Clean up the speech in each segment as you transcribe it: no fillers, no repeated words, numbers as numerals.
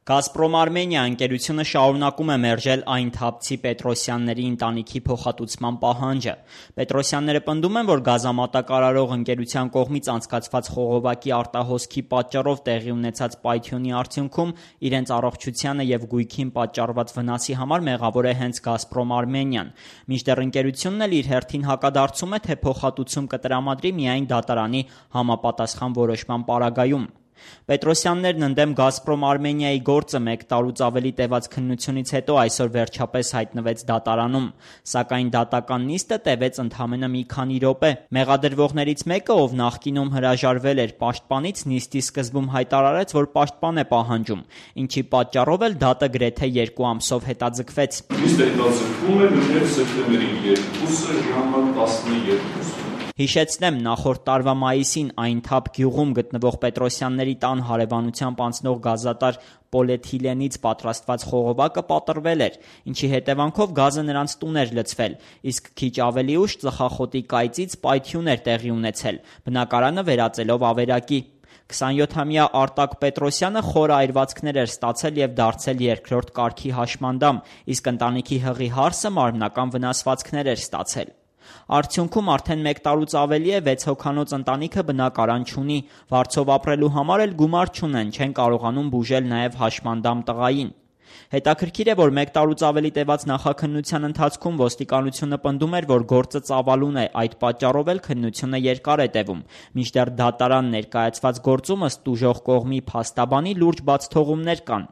Գազպրոմ Արմենիա ընկերությունը շարունակում է մերժել այն թափցի Պետրոսյանների ընտանիքի փոխհատուցման պահանջը։ Պետրոսյանները պնդում են, որ գազամատակարարող ընկերության կողմից անցկացված խողովակի արտահոսքի պատճառով տեղի ունեցած պայթյունի արդյունքում իրենց առողջությանը և գույքին պատճառված վնասի համար մեղավոր է հենց Գազպրոմ Արմենիան։ Մինչդեռ ընկերությունն էլ իր հերթին հակադարձում է, թե փոխհատուցում կտրամադրի միայն դատարանի համապատասխան որոշման պարագայում։ Պետրոսյաններն ընդդեմ Գազպրոմ Արմենիայի գործը 1 տարուց ավելի տևած քննությունից հետո այսօր վերջապես հայտնվեց դատարանում, սակայն դատական նիստը տևեց ընդամենը մի քանի րոպե։ Մեղադրվողներից մեկը, ով նախկինում հրաժարվել էր պաշտպանից, նիստի սկզբում հայտարարեց, որ պաշտպան է պահանջում, ինչի պատճառով էլ դատը գրեթե 2 ամսով հետաձգվեց։ Նիստը հետաձգվում է մինչև սեպտեմբերի 2-ը ժամը 12։ Հիշեցնեմ, նախորդ տարվա մայիսին Այնթափ գյուղում գտնվող Պետրոսյանների տան հարևանությամբ անցնող գազատար պոլիէթիլենից պատրաստված խողովակը պատռվել էր, ինչի հետևանքով գազը նրանց տուն էր լցվել, իսկ քիչ ավելի ուշ ծխախոտի կայծից պայթյուն էր տեղի ունեցել, բնակարանը վերածելով ավերակի։ 27-ամյա Արտակ Պետրոսյանը խոր այրվածքներ էր ստացել և դարձել երկրորդ կարգի հաշմանդամ, իսկ ընտանիքի հղի հարսը մարմնական վնասվածքներ էր ստացել։ Արդյունքում արդեն 1 տարուց ավելի է 6 հոգանոց ընտանիքը բնակարան չունի, վարձով ապրելու համար էլ գումար չունեն, չեն կարողանում բուժել նաև հաշմանդամ տղային։ Հետաքրքիր է, որ 1 տարուց ավելի տևած նախաքննության ընթացքում ոստիկանությունը պնդում էր, որ գործը ծավալուն է, այդ պատճառով էլ քննությունը երկար է տևում, մինչդեռ դատարան ներկայացված գործում ըստ տուժող կողմի փաստաբանի լուրջ բացթողումներ կան։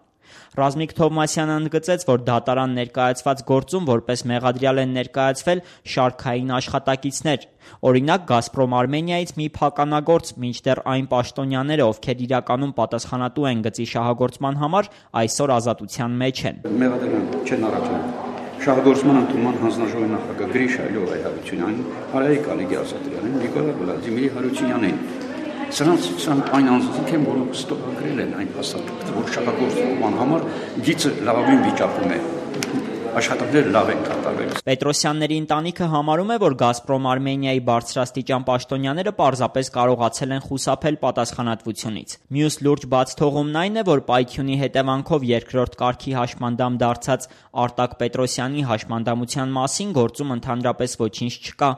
Ռազմիկ Թովմասյանը ընդգծեց, որ դատարան ներկայացված գործում որպես մեղադրյալ են ներկայացվել շարքային աշխատակիցներ, օրինակ Գազպրոմ Արմենիայից մի փականագործ, մինչդեռ այն պաշտոնյաները, ովքեր իրականում պատասխանատու են գծի շահագործման համար, այսօր ազատության մեջ են։ Մեղադրման չեն առաջանում։ Շահագործման ընդունման հանձնաժողովի նախագահ Գրիշա Լյովայի Հարությունյանին, Արայիկ Ալիգի Ասատրյանին, Նիկոլա Վլադիմիրի Հարությունյանին։ Սրանք այն անձինք են, որոնք ստորագրել են այն փաստաթղթը, որ շահագործման համար գիծը լավագույն վիճակում է, աշխատանքները լավ են կատարվել։ Պետրոսյանների ընտանիքը համարում է, որ Գազպրոմ Արմենիայի բարձրաստիճան պաշտոնյաները պարզապես կարողացել են խուսափել պատասխանատվությունից։ Մյուս լուրջ բացթողումն այն է, որ պայթյունի հետևանքով երկրորդ կարգի հաշմանդամ դարձած Արտակ Պետրոսյանի հաշմանդամության մասին գործում ընդհանրապես ոչինչ չկա։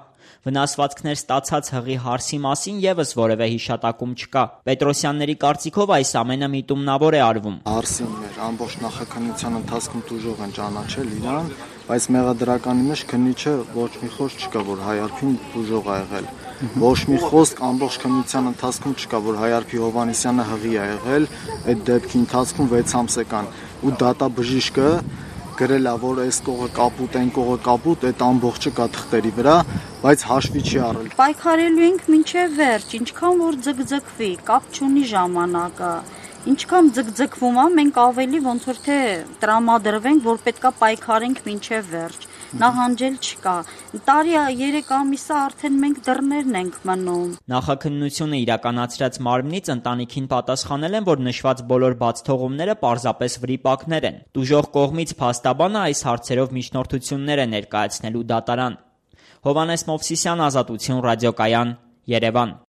Վնասվածքներ ստացած հղի հարսի մասին ևս որևէ հիշատակում չկա։ Պետրոսյանների կարծիքով այս ամենը միտումնավոր է արվում։ Հարսին մեր ամբողջ նախաքննության ընթացքում տուժող են ճանաչել իրան, բայց մեղադրականի մեջ քննիչը ոչ մի խոսք չկա, որ Հայարփին տուժող ա եղել։ Ոչ մի խոսք ամբողջ քննության ընթացքում չկա, որ Հայարփի Հովհաննիսյանը հղի ա եղել, այդ դեպքի ընթացքում 6 ամսական ու դատաբժիշկը գրել է, որ այս կողը կապուտ, այն կողը կապուտ, այդ ամբողջը կա թղթերի վրա, բայց հաշվի չի առել։ Պայքարելու ենք մինչև վերջ, ինչքան որ ձգձգվի, կապ չունի ժամանակը։ Ինչքան ձգձգվում է, մենք ավելի ոնց որ թե տրամադրվենք, որ պետքա պայքարենք մինչև վերջ։ Նահանջել չկա։ Տարի 3 ամիսը արդեն մենք դռներն ենք մնում։ Նախաքննությունը իրականացրած մարմնից ընտանիքին պատասխանել են, որ նշված բոլոր բացթողումները պարզապես վրիպակներ են։ Տուժող կողմից փաստաբանը այս հարցերով միջնորդություններ է ներկայացնելու դատարան։ Հովհաննես Մովսիսյան, Ազատություն ռադիոկայան, Երևան։